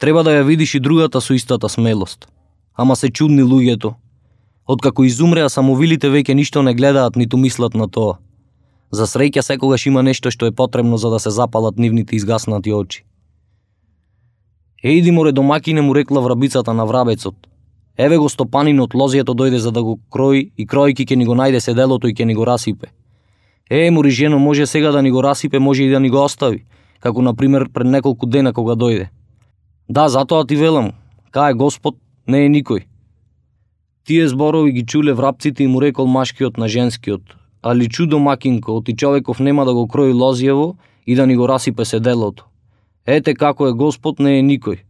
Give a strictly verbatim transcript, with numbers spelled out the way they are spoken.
Треба да ја видиш и другата со истата смелост. Ама се чудни луѓето. Откако изумреа, самовилите веќе ништо не гледаат ниту мислат на тоа. За среќа секогаш има нешто што е потребно за да се запалат нивните изгаснати очи. Ејди море домакине, му рекла врабицата на врабецот. Еве го стопанинот, лозијето дојде за да го крои и кројки ќе ни го најде седелото и ќе ни го расипе. Е, мори жено, може сега да ни го расипе, може и да ни го остави, како на пример пред неколку дена кога дојде. Да, затоа ти велам, кај Господ не е никој. Тие зборови ги чуле врапците и му рекол машкиот на женскиот: али чудо макинко, оти човеков нема да го крои лозиево и да ни го расипе седелото. Ете како е Господ, не е никој.